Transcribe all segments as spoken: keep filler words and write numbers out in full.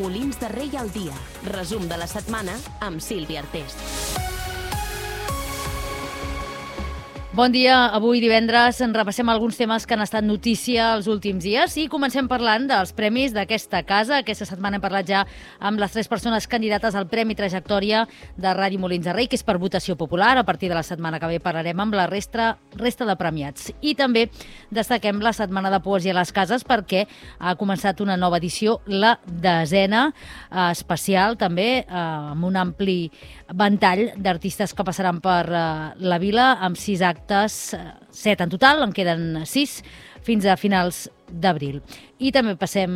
Molins de Rei al dia. Resum de la setmana amb Sílvia Artés. Bon dia. Avui divendres en repassem alguns temes que han estat notícia els últims dies i comencem parlant dels premis d'aquesta casa. Aquesta setmana hem parlat ja amb les tres persones candidates al Premi Trajectòria de Ràdio Molins de Rei, que és per votació popular. A partir de la setmana que ve parlarem amb la resta, resta de premiats. I també destaquem la Setmana de Poesia a les Cases perquè ha començat una nova edició, la desena, eh, especial també, eh, amb un ampli ventall d'artistes que passaran per eh, la vila, amb sis actes, set en total, en queden sis fins a finals d'abril. I també passem,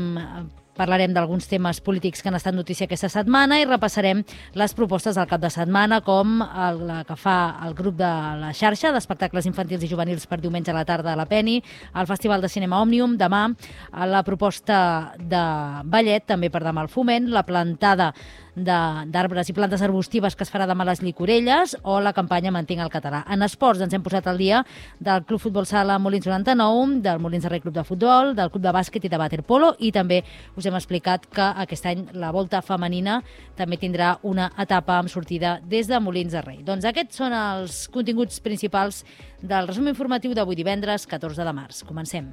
parlarem d'alguns temes polítics que han estat notícia aquesta setmana i repassarem les propostes del cap de setmana, com el, la que fa el grup de la xarxa d'espectacles infantils i juvenils per diumenge a la tarda a la Peni, el Festival de Cinema Òmnium demà, la proposta de ballet també per demà al Foment, la plantada d'arbres i plantes arbustives que es farà demà a les Llicorelles o la campanya Mantinc el català. En esports ens hem posat al dia del Club Futbol Sala Molins noranta-nou, del Molins de Rei Club de Futbol, del Club de Bàsquet i de Waterpolo, i també us hem explicat que aquest any la volta femenina també tindrà una etapa amb sortida des de Molins de Rei. Doncs aquests són els continguts principals del resum informatiu d'avui divendres catorze de març. Comencem.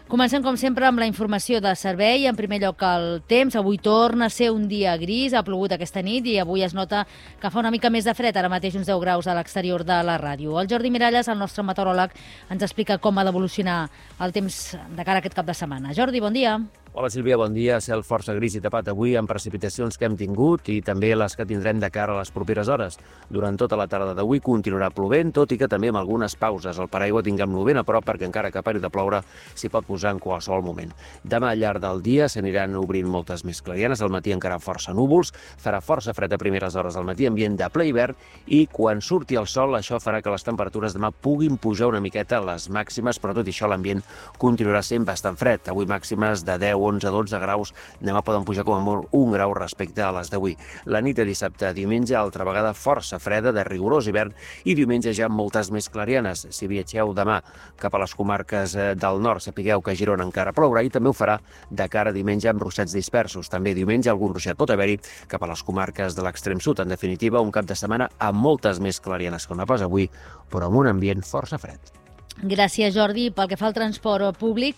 Comencem, com sempre, amb la informació de servei. En primer lloc, el temps. Avui torna a ser un dia gris, ha plogut aquesta nit i avui es nota que fa una mica més de fred, ara mateix uns deu graus a l'exterior de la ràdio. El Jordi Miralles, el nostre meteoròleg, ens explica com ha d'evolucionar el temps de cara a aquest cap de setmana. Jordi, bon dia. Hola Sílvia, bon dia. Cel força gris i tapat avui amb precipitacions que hem tingut i també les que tindrem de cara a les properes hores. Durant tota la tarda d'avui continuarà plovent, tot i que també amb algunes pauses. El paraigua tinguem-lo ben a prop perquè encara que pari de ploure s'hi pot posar en qualsevol moment. Demà al llarg del dia s'aniran obrint moltes més clarianes, al matí encara força núvols, farà força fred a primeres hores del matí, ambient de ple hivern, i quan surti el sol això farà que les temperatures demà puguin pujar una miqueta les màximes, però tot i això l'ambient continuarà sent bastant fred. Avui màximes de deu, onze, dotze graus, demà poden pujar com a molt un grau respecte a les d'avui. La nit de dissabte a diumenge, altra vegada força freda, de rigorós hivern, i diumenge ja moltes més clarianes. Si viatgeu demà cap a les comarques del nord, sapigueu que a Girona encara plourà i també ho farà de cara a diumenge amb ruixats dispersos. També diumenge algun ruixat pot haver-hi cap a les comarques de l'extrem sud. En definitiva, un cap de setmana amb moltes més clarianes que no pas avui, però amb un ambient força fred. Gràcies, Jordi. Pel que fa al transport públic,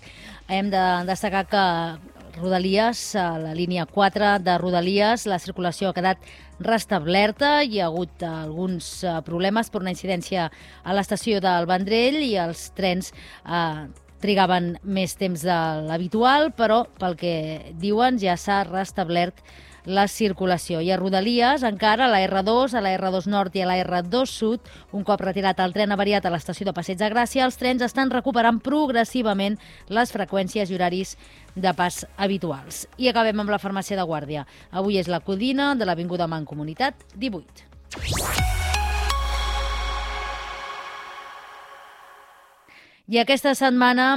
hem de destacar que Rodalies, a la línia quatre de Rodalies, la circulació ha quedat restablerta. Hi ha hagut alguns problemes per una incidència a l'estació del Vendrell i els trens eh, trigaven més temps de l'habitual, però pel que diuen ja s'ha restablert la circulació. I a Rodalies, encara, a la erre dos, a la erre dos Nord i a la erre dos Sud, un cop retirat el tren avariat a l'estació de Passeig de Gràcia, els trens estan recuperant progressivament les freqüències i horaris de pas habituals. I acabem amb la farmàcia de Guàrdia. Avui és la Codina de l'Avinguda Mancomunitat divuit. I aquesta setmana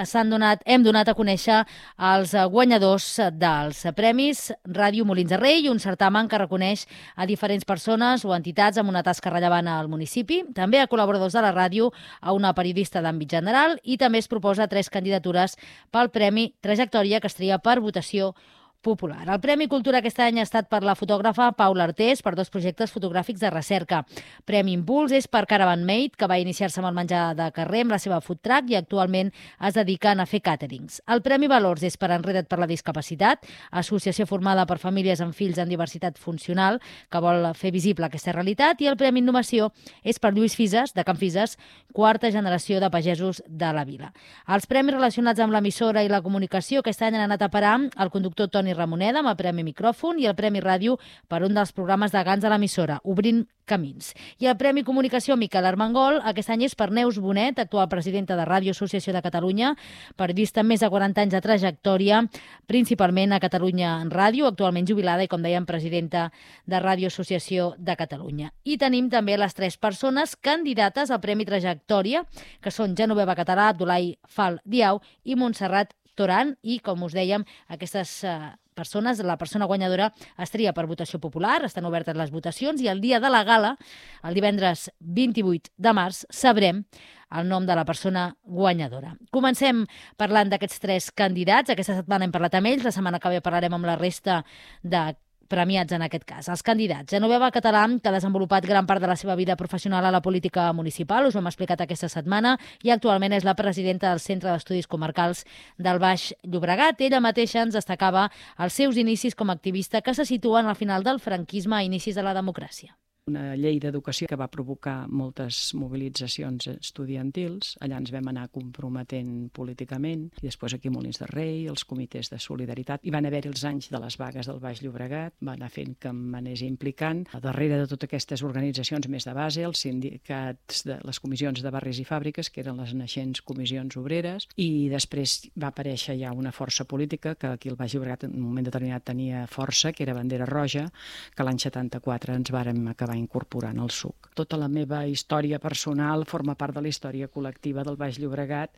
s'han donat, hem donat a conèixer els guanyadors dels premis Ràdio Molins de Rei, un certamen que reconeix a diferents persones o entitats amb una tasca rellevant al municipi, també a col·laboradors de la ràdio, a una periodista d'àmbit general, i també es proposa tres candidatures pel Premi Trajectòria que es tria per votació popular. El Premi Cultura aquest any ha estat per la fotògrafa Paula Artés per dos projectes fotogràfics de recerca. Premi Impuls és per Caravan Made, que va iniciar-se amb el menjar de carrer amb la seva food truck i actualment es dediquen a fer càterings. El Premi Valors és per Enreda't per la Discapacitat, associació formada per famílies amb fills amb diversitat funcional que vol fer visible aquesta realitat, i el Premi Innovació és per Lluís Fises, de Can Fises, quarta generació de pagesos de la vila. Els premis relacionats amb l'emissora i la comunicació aquest any han anat a parar el conductor Toni Ramoneda amb el Premi Micròfon i el Premi Ràdio per un dels programes de Gans a l'emissora, Obrint Camins. I el Premi Comunicació Miquel Armengol aquest any és per Neus Bonet, actual presidenta de Ràdio Associació de Catalunya, periodista amb més de quaranta anys de trajectòria, principalment a Catalunya en Ràdio, actualment jubilada i, com dèiem, presidenta de Ràdio Associació de Catalunya. I tenim també les tres persones candidates al Premi Trajectòria, que són Genoveva Català, Abdulai Fal Diau i Montserrat Toran i, com us dèiem, aquestes eh, persones, la persona guanyadora es tria per votació popular, estan obertes les votacions i el dia de la gala, el divendres vint-i-vuit de març, sabrem el nom de la persona guanyadora. Comencem parlant d'aquests tres candidats. Aquesta setmana hem parlat amb ells, la setmana que ve parlarem amb la resta de premiats en aquest cas. Els candidats. Genoveva Català, que ha desenvolupat gran part de la seva vida professional a la política municipal, us ho hem explicat aquesta setmana, i actualment és la presidenta del Centre d'Estudis Comarcals del Baix Llobregat. Ella mateixa ens destacava els seus inicis com a activista que se situen al final del franquisme a inicis de la democràcia. Una llei d'educació que va provocar moltes mobilitzacions estudiantils. Allà ens vam anar comprometent políticament. I després aquí a Molins de Rei, els comitès de solidaritat. I van haver-hi els anys de les vagues del Baix Llobregat. Va anar fent que m'anés implicant. A darrere de totes aquestes organitzacions més de base, els sindicats, de les comissions de barris i fàbriques, que eren les naixents comissions obreres. I després va aparèixer ja una força política que aquí al Baix Llobregat en un moment determinat tenia força, que era Bandera Roja, que l'any setanta-quatre ens vàrem acabar incorporant al suc. Tota la meva història personal forma part de la història col·lectiva del Baix Llobregat.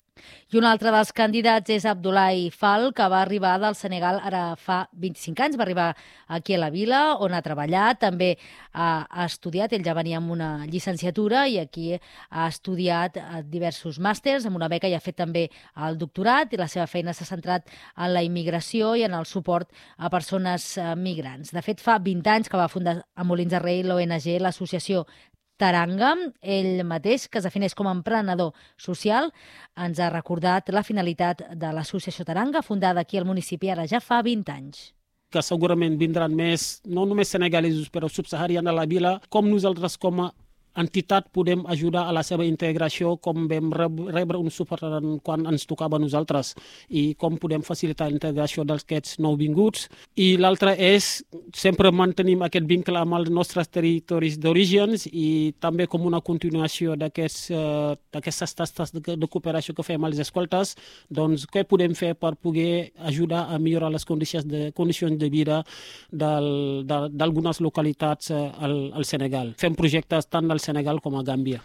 I un altre dels candidats és Abdoulaye Fall, que va arribar del Senegal ara fa vint-i-cinc anys, va arribar aquí a la vila, on ha treballat, també ha, ha estudiat, ell ja venia amb una llicenciatura i aquí ha estudiat diversos màsters, amb una beca i ha fet també el doctorat, i la seva feina s'ha centrat en la immigració i en el suport a persones migrants. De fet, fa vint anys que va fundar a Molins de Rei l'O N G, l'associació Taranga. Ell mateix, que es defineix com a emprenedor social, ens ha recordat la finalitat de l'associació Taranga, fundada aquí al municipi ara ja fa vint anys. Que segurament vindran més, no només senegalesos, però subsaharians a la vila, com nosaltres com a entitat podem ajudar a la seva integració, com vam rebre un suport quan ens tocava a nosaltres i com podem facilitar la integració d'aquests nouvinguts. I l'altre és sempre mantenim aquest vincle amb els nostres territoris d'origen i també com una continuació d'aquestes tasques de cooperació que fem a les escoltes, doncs què podem fer per poder ajudar a millorar les condicions de, condicions de vida d'algunes localitats al, al Senegal. Fem projectes tant al Senegal com a Gàmbia.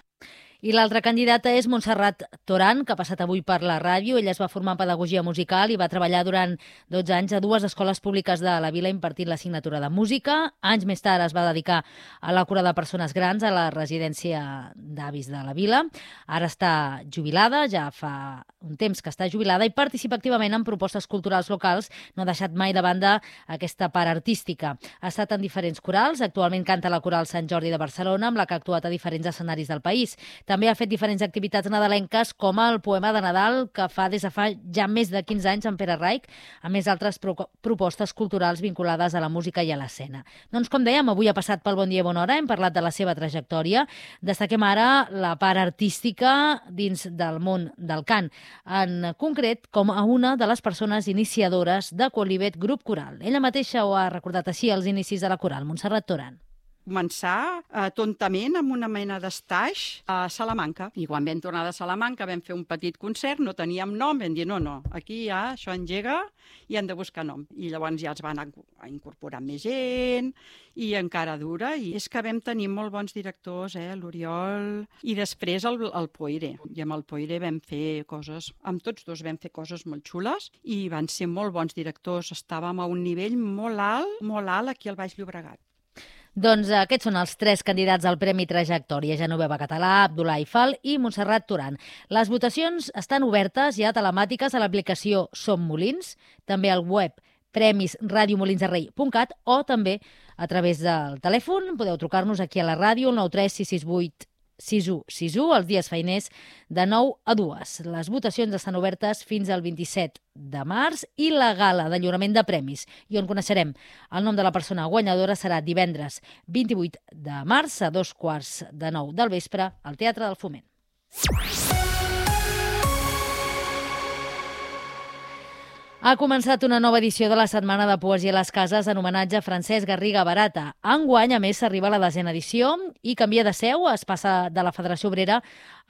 I l'altra candidata és Montserrat Toran, que ha passat avui per la ràdio. Ella es va formar en pedagogia musical i va treballar durant dotze anys a dues escoles públiques de la vila impartint l'assignatura de música. Anys més tard es va dedicar a la cura de persones grans a la residència d'avis de la vila. Ara està jubilada, ja fa un temps que està jubilada i participa activament en propostes culturals locals. No ha deixat mai de banda aquesta part artística. Ha estat en diferents corals. Actualment canta a la Coral Sant Jordi de Barcelona, amb la que ha actuat a diferents escenaris del país. També ha fet diferents activitats nadalenques, com el poema de Nadal, que fa des de fa ja més de quinze anys en Pere Raik, a més altres pro propostes culturals vinculades a la música i a l'escena. Doncs, com dèiem, avui ha passat pel Bon Dia i Bona Hora, hem parlat de la seva trajectòria. Destaquem ara la part artística dins del món del cant, en concret com a una de les persones iniciadores de Quolivet Grup Coral. Ella mateixa ho ha recordat així als inicis de la coral, Montserrat Toran. Començar eh, tontament amb una mena d'estaix a Salamanca. I quan vam tornar de Salamanca vam fer un petit concert, no teníem nom, vam dir no, no, aquí ja això engega i hem de buscar nom. I llavors ja els van a incorporar més gent i encara dura. I és que vam tenir molt bons directors, eh, l'Oriol i després el, el Poire. I amb el Poire vam fer coses, amb tots dos vam fer coses molt xules i van ser molt bons directors. Estàvem a un nivell molt alt, molt alt aquí al Baix Llobregat. Doncs aquests són els tres candidats al Premi Trajectòria: Genoveva Català, Abdoulaye Fall i Montserrat Toran. Les votacions estan obertes ja telemàtiques a l'aplicació Som Molins, també al web premis radio molins de rei punt cat o també a través del telèfon. Podeu trucar-nos aquí a la ràdio al nou tres sis sis vuit sis u sis u els dies feiners de nou a dues. Les votacions estan obertes fins al vint-i-set de març i la gala de lliurament de premis, i on coneixerem el nom de la persona guanyadora, serà divendres vint-i-vuit de març a dos quarts de nou del vespre al Teatre del Foment. Ha començat una nova edició de la Setmana de Poesia a les Cases en homenatge a Francesc Garriga Barata. Enguany, a més, s'arriba a la desena edició i canvia de seu, es passa de la Federació Obrera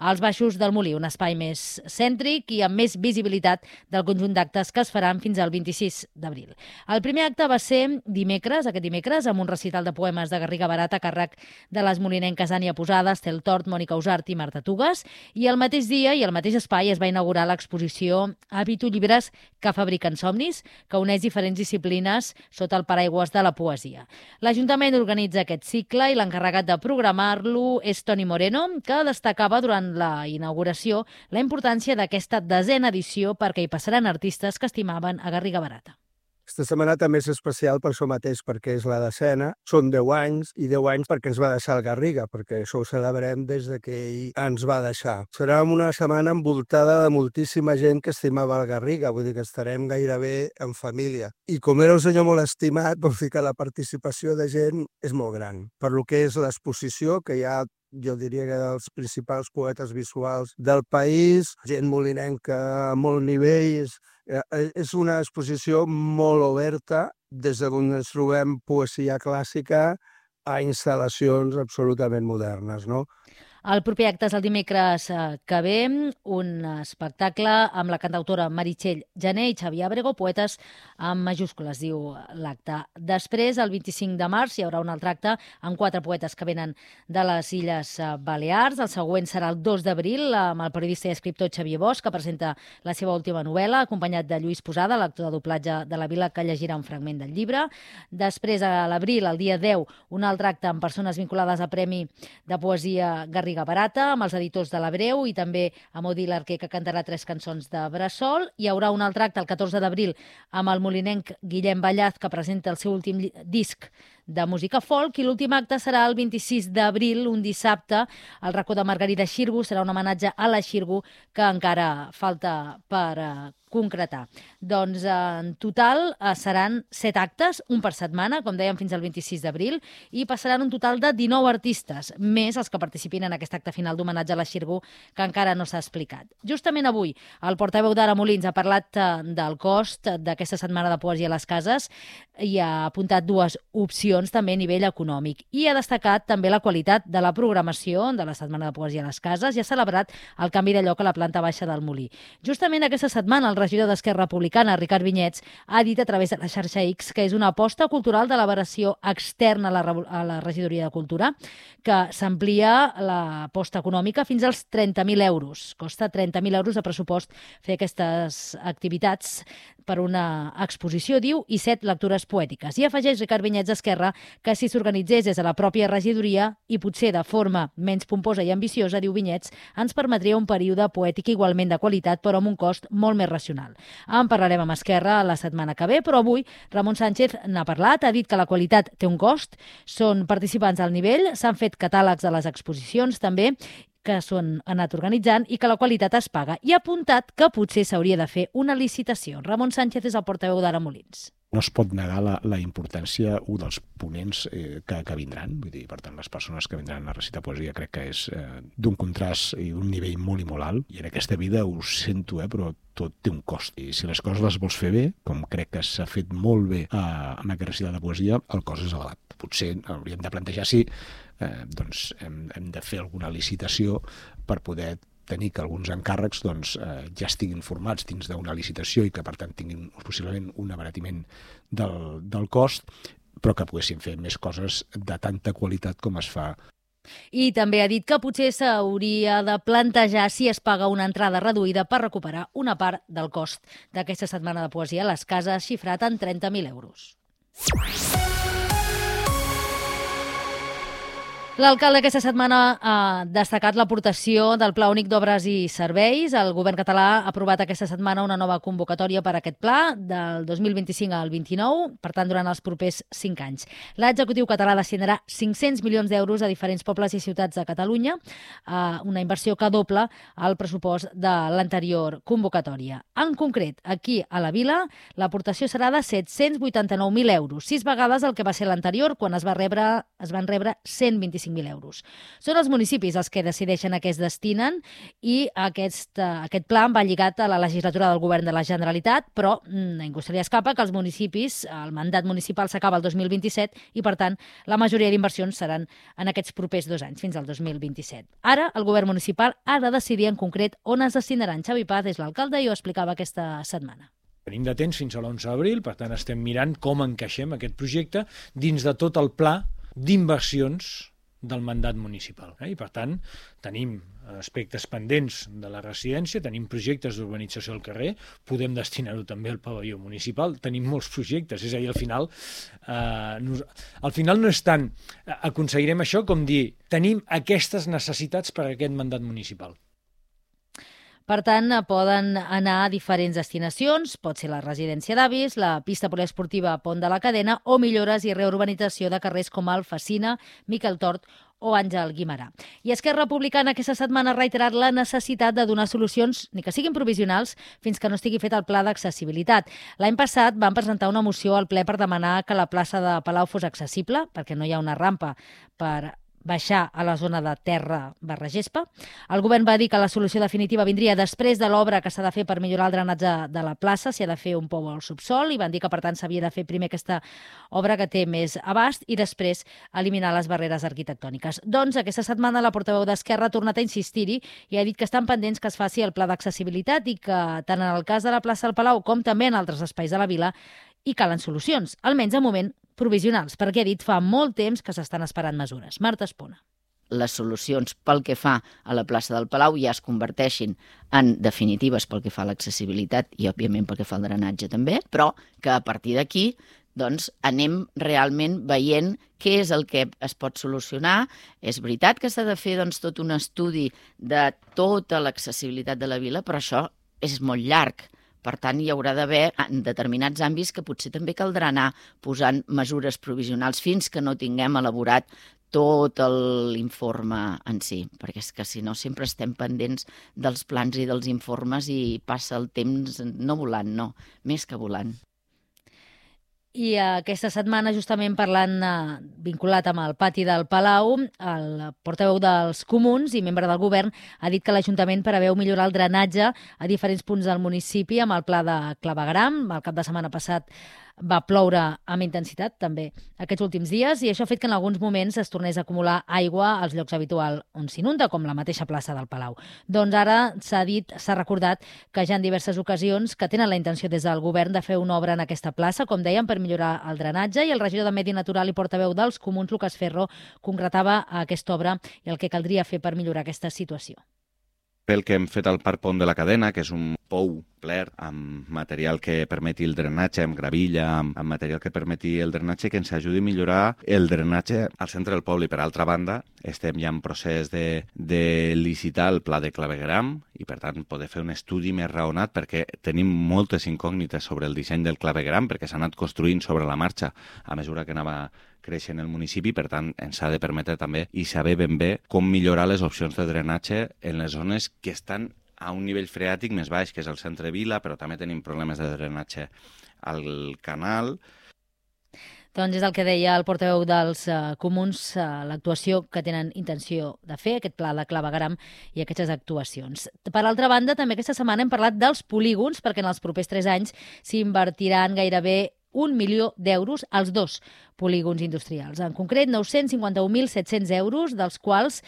als Baixos del Molí, un espai més cèntric i amb més visibilitat del conjunt d'actes que es faran fins al vint-i-sis d'abril. El primer acte va ser dimecres, aquest dimecres, amb un recital de poemes de Garriga Barata a càrrec de les molinenques Ània Posada, Estel Tort, Mònica Usart i Marta Tugues, i el mateix dia i el mateix espai es va inaugurar l'exposició Habito llibres que fabriquen somnis, que uneix diferents disciplines sota el paraigües de la poesia. L'Ajuntament organitza aquest cicle i l'encarregat de programar-lo és Toni Moreno, que destacava durant la inauguració la importància d'aquesta desena edició perquè hi passaran artistes que estimaven a Garriga Barata. Aquesta setmana també és especial per això mateix, perquè és la desena, són deu anys, i deu anys perquè ens va deixar el Garriga, perquè això ho celebrem des de que ell ens va deixar. Serà una setmana envoltada de moltíssima gent que estimava el Garriga, vull dir que estarem gairebé en família. I com era un senyor molt estimat, vol dir que la participació de gent és molt gran. Per lo que és l'exposició, que hi ha jo diria que dels principals poetes visuals del país, gent molinenca a molt nivells. És una exposició molt oberta, des d'on ens trobem poesia clàssica a instal·lacions absolutament modernes, no? El proper acte és el dimecres que ve, un espectacle amb la cantautora Meritxell Jané i Xavier Abrego, poetes amb majúscules, diu l'acte. Després, el vint-i-cinc de març, hi haurà un altre acte amb quatre poetes que venen de les Illes Balears. El següent serà el dos d'abril, amb el periodista i escriptor Xavier Bosch, que presenta la seva última novel·la, acompanyat de Lluís Posada, l'actor de doblatge de la Vila, que llegirà un fragment del llibre. Després, a l'abril, el dia deu, un altre acte amb persones vinculades al Premi de Poesia Garriga Barata, amb els editors de l'Abreu i també amb Odil Arquer, que cantarà tres cançons de Bressol. Hi haurà un altre acte el catorze d'abril amb el molinenc Guillem Ballaz, que presenta el seu últim disc de música folk, i l'últim acte serà el vint-i-sis d'abril, un dissabte. El racó de Margarida Xirgu serà un homenatge a la Xirgu, que encara falta per uh, concretar. Doncs en total uh, seran set actes, un per setmana, com dèiem, fins al vint-i-sis d'abril, i passaran un total de dinou artistes, més els que participin en aquest acte final d'homenatge a la Xirgu, que encara no s'ha explicat. Justament avui, el portaveu d'Ara Molins ha parlat uh, del cost d'aquesta setmana de poesia a les cases i ha apuntat dues opcions també a nivell econòmic, i ha destacat també la qualitat de la programació de la Setmana de Poesia a les Cases i ha celebrat el canvi de lloc a la planta baixa del Molí. Justament aquesta setmana el regidor d'Esquerra Republicana, Ricard Vinyets, ha dit a través de la xarxa X que és una aposta cultural de la veració externa a la, a la regidoria de Cultura, que s'amplia l'aposta econòmica fins als trenta mil euros. Costa trenta mil euros de pressupost fer aquestes activitats per una exposició, diu, i set lectures poètiques. I afegeix Ricard Vinyets d'Esquerra que si s'organitzés des de la pròpia regidoria i potser de forma menys pomposa i ambiciosa, diu Vinyets, ens permetria un període poètic igualment de qualitat, però amb un cost molt més racional. En parlarem amb Esquerra la setmana que ve, però avui Ramon Sánchez n'ha parlat, ha dit que la qualitat té un cost, són participants al nivell, s'han fet catàlegs de les exposicions també, que s'han anat organitzant i que la qualitat es paga. I ha apuntat que potser s'hauria de fer una licitació. Ramon Sánchez és el portaveu d'Ara Molins. No es pot negar la, la importància, un dels ponents eh, que, que vindran, vull dir, per tant, les persones que vindran a recitar poesia crec que és eh, d'un contrast i d'un nivell molt i molt alt, i en aquesta vida ho sento, eh, però tot té un cost. I si les coses les vols fer bé, com crec que s'ha fet molt bé eh, en aquest recital de poesia, el cost és elevat. Potser hauríem de plantejar si eh, doncs hem, hem de fer alguna licitació per poder tenir que alguns encàrrecs doncs, eh, ja estiguin formats dins d'una licitació i que, per tant, tinguin possiblement un abaratiment del, del cost, però que poguessin fer més coses de tanta qualitat com es fa. I també ha dit que potser s'hauria de plantejar si es paga una entrada reduïda per recuperar una part del cost d'aquesta setmana de poesia a les cases, xifrat en trenta mil euros. L'alcalde aquesta setmana ha destacat l'aportació del Pla Únic d'Obres i Serveis. El govern català ha aprovat aquesta setmana una nova convocatòria per a aquest pla del dos mil vint-i-cinc al vint-i-nou, per tant, durant els propers cinc anys. L'executiu català destinarà cinc-cents milions d'euros a diferents pobles i ciutats de Catalunya, una inversió que dobla el pressupost de l'anterior convocatòria. En concret, aquí a la Vila, l'aportació serà de set-cents vuitanta-nou mil euros, sis vegades el que va ser l'anterior, quan es, va rebre, es van rebre cent vint-i-cinc vint-i-cinc mil euros. Són els municipis els que decideixen a què es destinen i aquest, aquest pla va lligat a la legislatura del govern de la Generalitat, però a ningú se li escapa que els municipis, el mandat municipal s'acaba el dos mil vint-i-set i, per tant, la majoria d'inversions seran en aquests propers dos anys, fins al dos mil vint-i-set. Ara, el govern municipal ha de decidir en concret on es destinaran. Xavi Paz és l'alcalde i ho explicava aquesta setmana. Tenim de temps fins a l'onze d'abril, per tant estem mirant com encaixem aquest projecte dins de tot el pla d'inversions del mandat municipal. I, per tant, tenim aspectes pendents de la residència, tenim projectes d'urbanització al carrer, podem destinar-ho també al pavelló municipal, tenim molts projectes, és a dir, al final, eh, nos, al final no és tant aconseguirem això com dir tenim aquestes necessitats per a aquest mandat municipal. Per tant, poden anar a diferents destinacions, pot ser la residència d'avis, la pista poliesportiva Pont de la Cadena o millores i reurbanització de carrers com el Facina, Miquel Tort o Àngel Guimerà. I Esquerra Republicana aquesta setmana ha reiterat la necessitat de donar solucions, ni que siguin provisionals, fins que no estigui fet el pla d'accessibilitat. L'any passat van presentar una moció al ple per demanar que la plaça de Palau fos accessible, perquè no hi ha una rampa per baixar a la zona de terra barra gespa. El govern va dir que la solució definitiva vindria després de l'obra que s'ha de fer per millorar el drenatge de la plaça, s'hi ha de fer un pou al subsol, i van dir que, per tant, s'havia de fer primer aquesta obra que té més abast i després eliminar les barreres arquitectòniques. Doncs aquesta setmana la portaveu d'Esquerra ha tornat a insistir-hi i ha dit que estan pendents que es faci el pla d'accessibilitat i que, tant en el cas de la plaça del Palau com també en altres espais de la vila, hi calen solucions, almenys de moment provisionals, perquè ha dit fa molt temps que s'estan esperant mesures. Marta Espona. Les solucions pel que fa a la plaça del Palau ja es converteixin en definitives pel que fa a l'accessibilitat i, òbviament, pel que fa al drenatge també, però que a partir d'aquí doncs, anem realment veient què és el que es pot solucionar. És veritat que s'ha de fer doncs, tot un estudi de tota l'accessibilitat de la vila, però això és molt llarg. Per tant, hi haurà d'haver en determinats àmbits que potser també caldrà anar posant mesures provisionals fins que no tinguem elaborat tot l'informe en si, perquè és que si no sempre estem pendents dels plans i dels informes i passa el temps no volant, no, més que volant. I aquesta setmana, justament parlant, eh, vinculat amb el pati del Palau, el portaveu dels Comuns i membre del govern ha dit que l'Ajuntament preveu millorar el drenatge a diferents punts del municipi amb el pla de clavegueram. El cap de setmana passat va ploure amb intensitat també aquests últims dies i això ha fet que en alguns moments es tornés a acumular aigua als llocs habituals on s'inunda, com la mateixa plaça del Palau. Doncs ara s'ha dit, s'ha recordat que ja en diverses ocasions que tenen la intenció des del govern de fer una obra en aquesta plaça, com dèiem, per millorar el drenatge, i el regidor de Medi Natural i portaveu dels Comuns, Lucas Ferro, concretava aquesta obra i el que caldria fer per millorar aquesta situació. Pel que hem fet al Parc Pont de la Cadena, que és un pou ple amb material que permeti el drenatge, amb gravilla, amb, amb material que permeti el drenatge, que ens ajudi a millorar el drenatge al centre del poble. I per altra banda, estem ja en procés de, de licitar el pla de clavegueram i, per tant, poder fer un estudi més raonat perquè tenim moltes incògnites sobre el disseny del clavegueram perquè s'ha anat construint sobre la marxa a mesura que anava creixent el municipi, per tant, ens ha de permetre també i saber ben bé com millorar les opcions de drenatge en les zones que estan a un nivell freàtic més baix, que és el centre vila, però també tenim problemes de drenatge al canal. Doncs és el que deia el portaveu dels uh, Comuns, uh, l'actuació que tenen intenció de fer, aquest pla de clavegueram i aquestes actuacions. Per altra banda, també aquesta setmana hem parlat dels polígons, perquè en els propers tres anys s'invertiran gairebé un milió d'euros als dos polígons industrials. En concret, nou-cents cinquanta-un mil set-cents euros, dels quals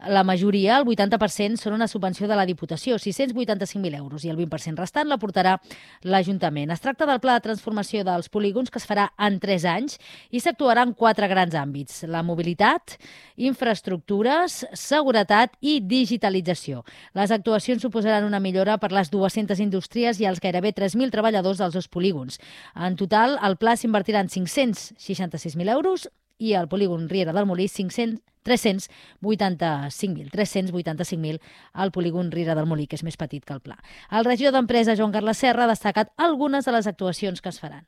la majoria, el vuitanta per cent, són una subvenció de la Diputació, sis-cents vuitanta-cinc mil euros, i el vint per cent restant l'aportarà l'Ajuntament. Es tracta del pla de transformació dels polígons que es farà en tres anys i s'actuarà en quatre grans àmbits: la mobilitat, infraestructures, seguretat i digitalització. Les actuacions suposaran una millora per les dues-centes indústries i els gairebé tres mil treballadors dels dos polígons. En total, al pla s'invertiran cinc-cents seixanta-sis mil euros i al polígon Riera del Molí cinc-cents tres-cents vuitanta-cinc mil. tres-cents vuitanta-cinc mil al polígon Riera del Molí, que és més petit que el pla. El regidor d'Empresa, Joan Carles Serra, ha destacat algunes de les actuacions que es faran.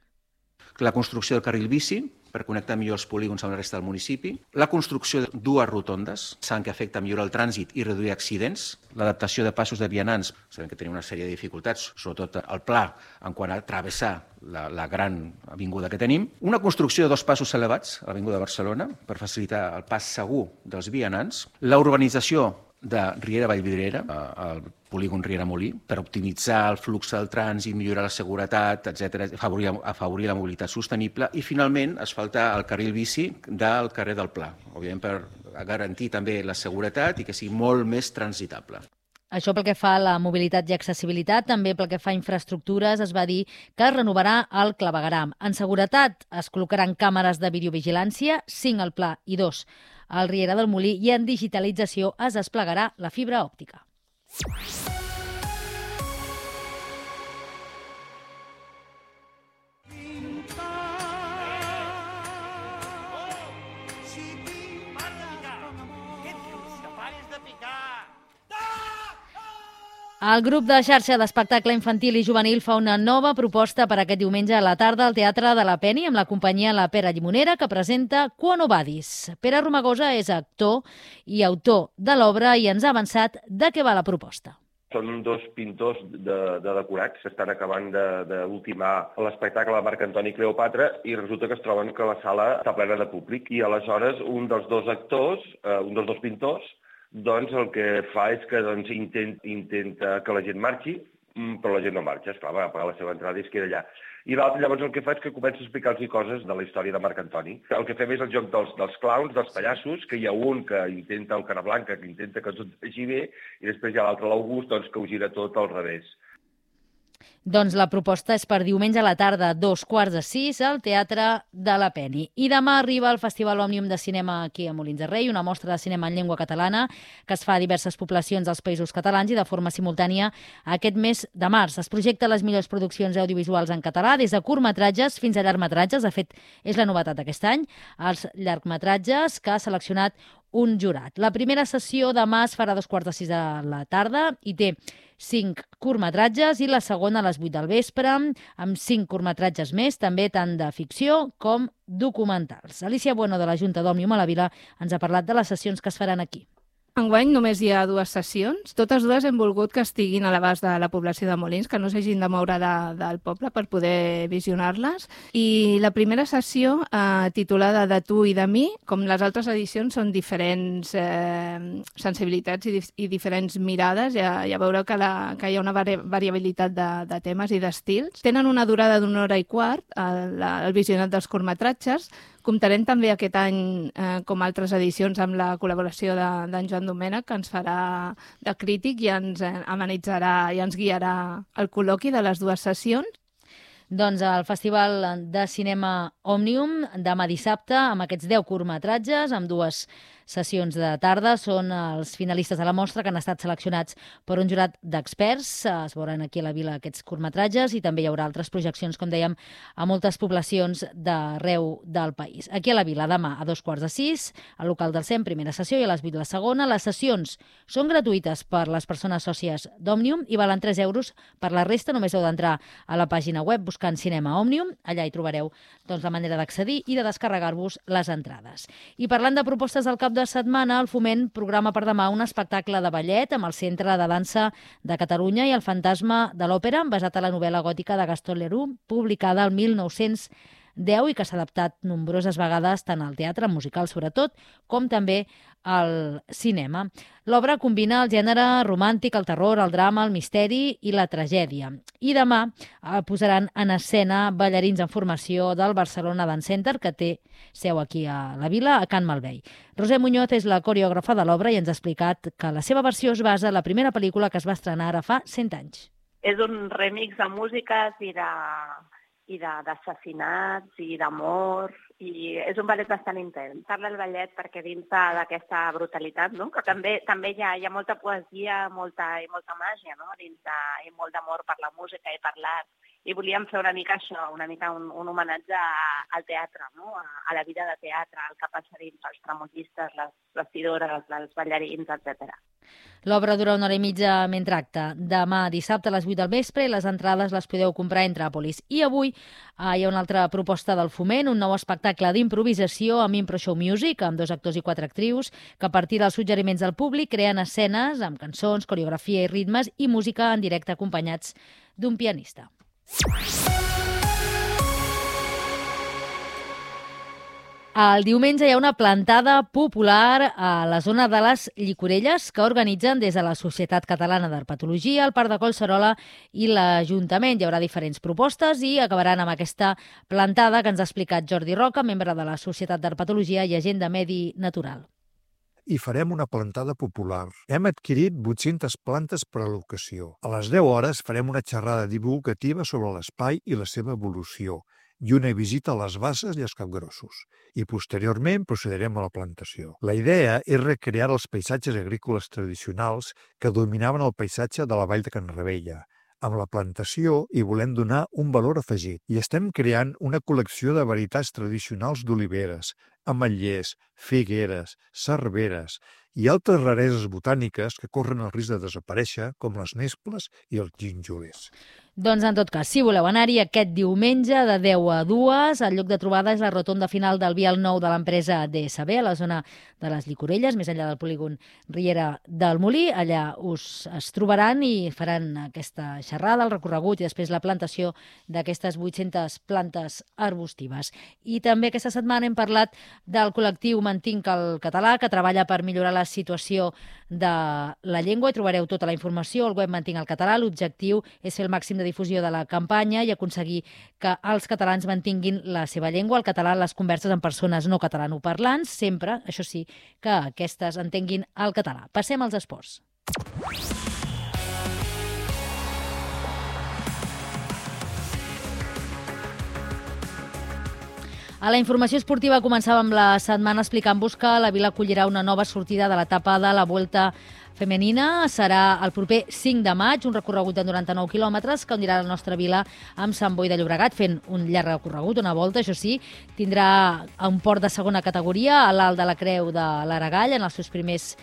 la construcció del carril bici, per connectar millor els polígons amb la resta del municipi, la construcció de dues rotondes, saben que afecta a millorar el trànsit i reduir accidents, l'adaptació de passos de vianants, sabem que tenim una sèrie de dificultats, sobretot al pla, en quant a travessar la, la gran avinguda que tenim, una construcció de dos passos elevats a l'avinguda de Barcelona per facilitar el pas segur dels vianants, la urbanització de Riera Vallvidrera, al polígon Riera Molí, per optimitzar el flux del trànsit, millorar la seguretat, etcètera, afavorir, afavorir la mobilitat sostenible i, finalment, asfaltar el carril bici del carrer del Pla, òbviament per garantir també la seguretat i que sigui molt més transitable. Això pel que fa a la mobilitat i accessibilitat, també pel que fa a infraestructures, es va dir que es renovarà el clavegueram. En seguretat es col·locaran càmeres de videovigilància, cinc al Pla i dos al Riera del Molí, i en digitalització es desplegarà la fibra òptica. El grup de xarxa d'espectacle infantil i juvenil fa una nova proposta per aquest diumenge a la tarda al Teatre de la Peni amb la companyia La Pera Llimonera, que presenta Quo Vadis. Pere Romagosa és actor i autor de l'obra i ens ha avançat de què va la proposta. Són dos pintors de, de decorats que estan acabant d'ultimar l'espectacle de Marc Antoni Cleopatra i resulta que es troben que la sala està plena de públic i aleshores un dels dos actors, eh, un dels dos pintors, doncs el que fa és que doncs, intent, intenta que la gent marxi, però la gent no marxa, esclar, va pagar la seva entrada i es queda allà. I l'altre llavors el que fa és que comença a explicar-los coses de la història de Marc Antoni. El que fem és el joc dels, dels clowns, dels pallassos, que hi ha un que intenta el Carablanca, que intenta que tot vagi bé, i després hi ha l'altre, l'August, doncs, que ho gira tot al revés. Doncs la proposta és per diumenge a la tarda, dos quarts de sis, al Teatre de la Peni. I demà arriba el Festival Òmnium de Cinema aquí a Molins de Rei, una mostra de cinema en llengua catalana que es fa a diverses poblacions dels Països Catalans i de forma simultània aquest mes de març. Es projecta les millors produccions audiovisuals en català, des de curtmetratges fins a llargmetratges. De fet, és la novetat d'aquest any, els llargmetratges que ha seleccionat un jurat. La primera sessió demà es farà a dos quarts de sis de la tarda i té cinc curtmetratges i la segona a les vuit del vespre, amb cinc curtmetratges més, també tant de ficció com documentals. Alicia Bueno, de la Junta d'Òmnium a la Vila, ens ha parlat de les sessions que es faran aquí. Enguany només hi ha dues sessions. Totes dues hem volgut que estiguin a l'abast de la població de Molins, que no s'hagin de moure de, del poble per poder visionar-les. I la primera sessió, eh, titulada De tu i de mi, com les altres edicions, són diferents eh, sensibilitats i, dif i diferents mirades. Ja, ja veureu que, la, que hi ha una vari variabilitat de, de temes i d'estils. Tenen una durada d'una hora i quart, el, el visionat dels curtmetratges. Comptarem també aquest any, eh, com altres edicions, amb la col·laboració d'en de, Joan Domènech, que ens farà de crític i ens eh, amenitzarà i ens guiarà el col·loqui de les dues sessions. Doncs el Festival de Cinema Òmnium, demà dissabte, amb aquests deu curtmetratges, amb dues sessions de tarda, són els finalistes de la mostra que han estat seleccionats per un jurat d'experts. Es veuran aquí a la Vila aquests curtmetratges i també hi haurà altres projeccions, com dèiem, a moltes poblacions d'arreu del país. Aquí a la Vila, demà a dos quarts de sis, al local del C E M, primera sessió, i a les vuit la segona. Les sessions són gratuïtes per les persones sòcies d'Òmnium i valen tres euros. Per la resta només heu d'entrar a la pàgina web buscant Cinema Òmnium. Allà hi trobareu doncs, la manera d'accedir i de descarregar-vos les entrades. I parlant de propostes del cap de setmana, el Foment programa per demà un espectacle de ballet amb el Centre de Dansa de Catalunya i el Fantasma de l'Òpera, basat a la novel·la gòtica de Gaston Leroux, publicada el mil nou-cents deu i que s'ha adaptat nombroses vegades tant al teatre, musical sobretot, com també al cinema. L'obra combina el gènere romàntic, el terror, el drama, el misteri i la tragèdia. I demà eh, posaran en escena ballarins en formació del Barcelona Dance Center, que té seu aquí a la Vila, a Can Malvei. Roser Muñoz és la coreògrafa de l'obra i ens ha explicat que la seva versió es basa en la primera pel·lícula que es va estrenar ara fa cent anys. És un remix de músiques i de i d'assassinats i d'amor, i és un ballet bastant intens. Parla el ballet perquè dins d'aquesta brutalitat, no? Que també també hi ha, hi ha molta poesia molta, i molta màgia, no? Dins de, i molt d'amor per la música i per l'art. I volíem fer una mica això, una mica un, un homenatge a, al teatre, no? A, a la vida de teatre, al que passa dins, els tramotistes, les vestidores, els ballarins, etcètera. L'obra dura una hora i mitja mentre acte. Demà dissabte a les vuit del vespre i les entrades les podeu comprar a Entràpolis. I avui eh, hi ha una altra proposta del Foment, un nou espectacle d'improvisació amb Impro Show Music, amb dos actors i quatre actrius, que a partir dels suggeriments del públic creen escenes amb cançons, coreografia i ritmes i música en directe acompanyats d'un pianista. El diumenge hi ha una plantada popular a la zona de les Llicorelles que organitzen des de la Societat Catalana d'Herpetologia, el Parc de Collserola i l'Ajuntament. Hi haurà diferents propostes i acabaran amb aquesta plantada que ens ha explicat Jordi Roca, membre de la Societat d'Herpetologia i agent de Medi Natural. I farem una plantada popular. Hem adquirit vuit-centes plantes per a l'ocasió. A les deu hores farem una xerrada divulgativa sobre l'espai i la seva evolució i una visita a les basses i els capgrossos. I posteriorment procederem a la plantació. La idea és recrear els paisatges agrícoles tradicionals que dominaven el paisatge de la vall de Can Ravella. Amb la plantació hi volem donar un valor afegit i estem creant una col·lecció de varietats tradicionals d'oliveres, ametllers, figueres, cerveres i altres rareses botàniques que corren el risc de desaparèixer, com les nesples i els gínjoles. Doncs, en tot cas, si voleu anar-hi aquest diumenge de deu a dues, el lloc de trobada és la rotonda final del vial nou de l'empresa D S B, a la zona de les Llicorelles, més enllà del polígon Riera del Molí. Allà us es trobaran i faran aquesta xerrada, el recorregut i després la plantació d'aquestes vuit-centes plantes arbustives. I també aquesta setmana hem parlat del col·lectiu Mantinc el Català, que treballa per millorar la situació de la llengua, i trobareu tota la informació al web Mantinc el Català. L'objectiu és fer el màxim de difusió de la campanya i aconseguir que els catalans mantinguin la seva llengua, el català, les converses amb persones no catalanoparlants, sempre, això sí, que aquestes entenguin el català. Passem als esports. A la informació esportiva començàvem la setmana explicant-vos que la Vila acollirà una nova sortida de l'etapa de la Vuelta Femenina. Serà el proper cinc de maig, un recorregut de noranta-nou quilòmetres que unirà la nostra vila amb Sant Boi de Llobregat, fent un llarg recorregut, una volta, això sí. Tindrà un port de segona categoria a l'alt de la Creu de l'Aragall en els seus primers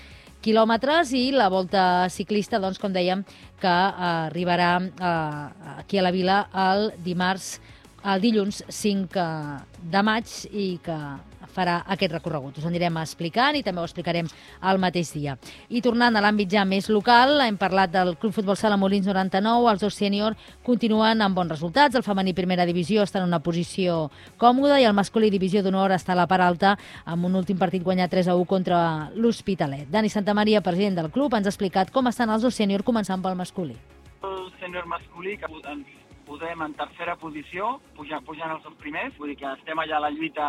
quilòmetres, i la volta ciclista, doncs, com dèiem, que arribarà eh, aquí a la vila el dimarts, el dilluns cinc de maig, i que farà aquest recorregut. Us anirem explicant i també ho explicarem al mateix dia. I tornant a l'àmbit ja més local, hem parlat del Club Futbol Sala Molins noranta-nou. Els dos sènior continuen amb bons resultats. El femení primera divisió està en una posició còmoda i el masculí divisió d'honor està a la part alta amb un últim partit guanyat tres a u contra l'Hospitalet. Dani Santamaria, president del club, ens ha explicat com estan els dos sènior, començant pel masculí. El sènior masculí, que ens posem en tercera posició, pujant, pujant els dos primers, vull dir que estem allà a la lluita,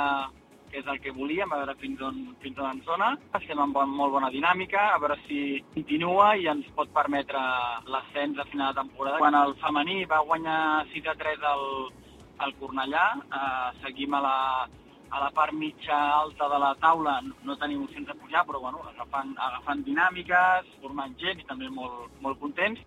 que és el que volíem, a veure fins on, fins on ens dona. Estem amb bon, molt bona dinàmica, a veure si continua i ens pot permetre l'ascens a final de temporada. Quan el femení va guanyar sis a tres al, al Cornellà, eh, seguim a la, a la part mitja alta de la taula, no tenim opcions de pujar, però bueno, agafant, agafant dinàmiques, formant gent i també molt, molt contents.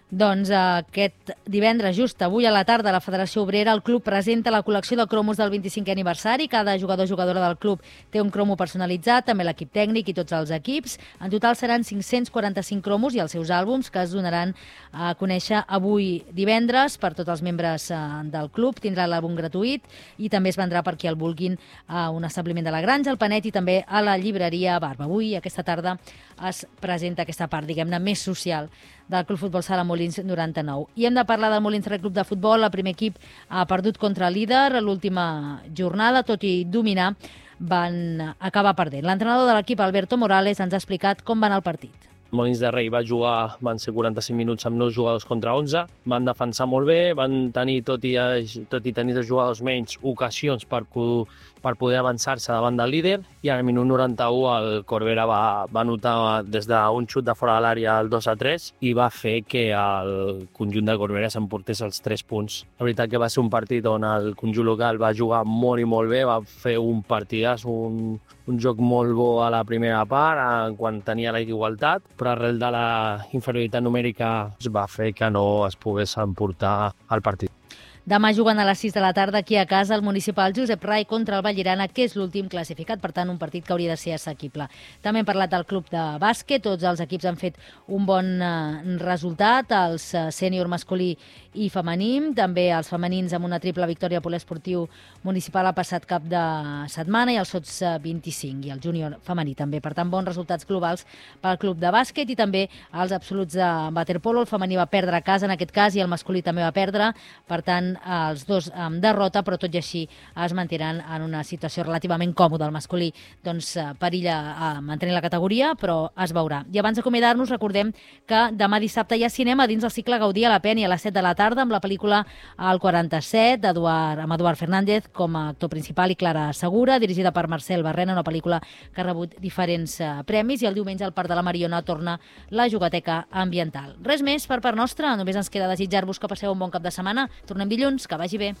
Doncs aquest divendres, just avui a la tarda, la Federació Obrera, el club presenta la col·lecció de cromos del vint-i-cinquè aniversari. Cada jugador o jugadora del club té un cromo personalitzat, també l'equip tècnic i tots els equips. En total seran cinc-cents quaranta-cinc cromos i els seus àlbums, que es donaran a conèixer avui divendres per tots els membres del club. Tindrà l'àlbum gratuït i també es vendrà per qui el vulguin a un establiment de la Granja, al Panet i també a la llibreria Barba. Avui, aquesta tarda, es presenta aquesta part, diguem-ne, més social del Club Futbol Sala Molins noranta-nou. I hem de parlar del Molins Rec Club de Futbol. El primer equip ha perdut contra el líder l'última jornada, tot i dominar, van acabar perdent. L'entrenador de l'equip, Alberto Morales, ens ha explicat com va anar el partit. Molins de Rei va jugar, van ser quaranta-cinc minuts amb nou jugadors contra onze, van defensar molt bé, van tenir, tot i, tot i tenir dos jugadors menys, ocasions per, per poder avançar-se davant del líder, i al minut noranta-u el Corbera va, va notar des d'un xut de fora de l'àrea el dos a tres i va fer que el conjunt de Corbera s'emportés els tres punts. La veritat que va ser un partit on el conjunt local va jugar molt i molt bé, va fer un partidàs, un, un joc molt bo a la primera part, quan tenia la igualtat, però arrel de la inferioritat numèrica es va fer que no es pogués emportar el partit. Demà juguen a les sis de la tarda aquí a casa el municipal Josep Rai contra el Vallirana, que és l'últim classificat, per tant un partit que hauria de ser assequible. També hem parlat del club de bàsquet, tots els equips han fet un bon eh, resultat, els eh, sènior masculí i femení, també els femenins amb una triple victòria poliesportiu municipal el passat cap de setmana i els sots vint-i-cinc i el júnior femení també. Per tant, bons resultats globals pel club de bàsquet i també els absoluts de waterpolo. El femení va perdre a casa en aquest cas i el masculí també va perdre, per tant els dos amb derrota, però tot i així es mantenen en una situació relativament còmoda. El masculí doncs perilla a mantenir la categoria, però es veurà. I abans d'acomiadar-nos recordem que demà dissabte hi ha cinema dins el cicle Gaudí a la Peni a les set de la tarda amb la pel·lícula El quaranta-set d'Eduard, amb Eduard Fernández com a actor principal i Clara Segura, dirigida per Marcel Barrena, una pel·lícula que ha rebut diferents eh, premis, i el diumenge al Parc de la Mariona torna la Jugateca Ambiental. Res més per part nostra, només ens queda desitjar-vos que passeu un bon cap de setmana. Tornem dilluns, que vagi bé.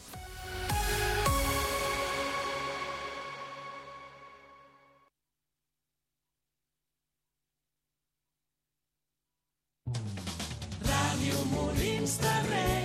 Ràdio Molins de Rei.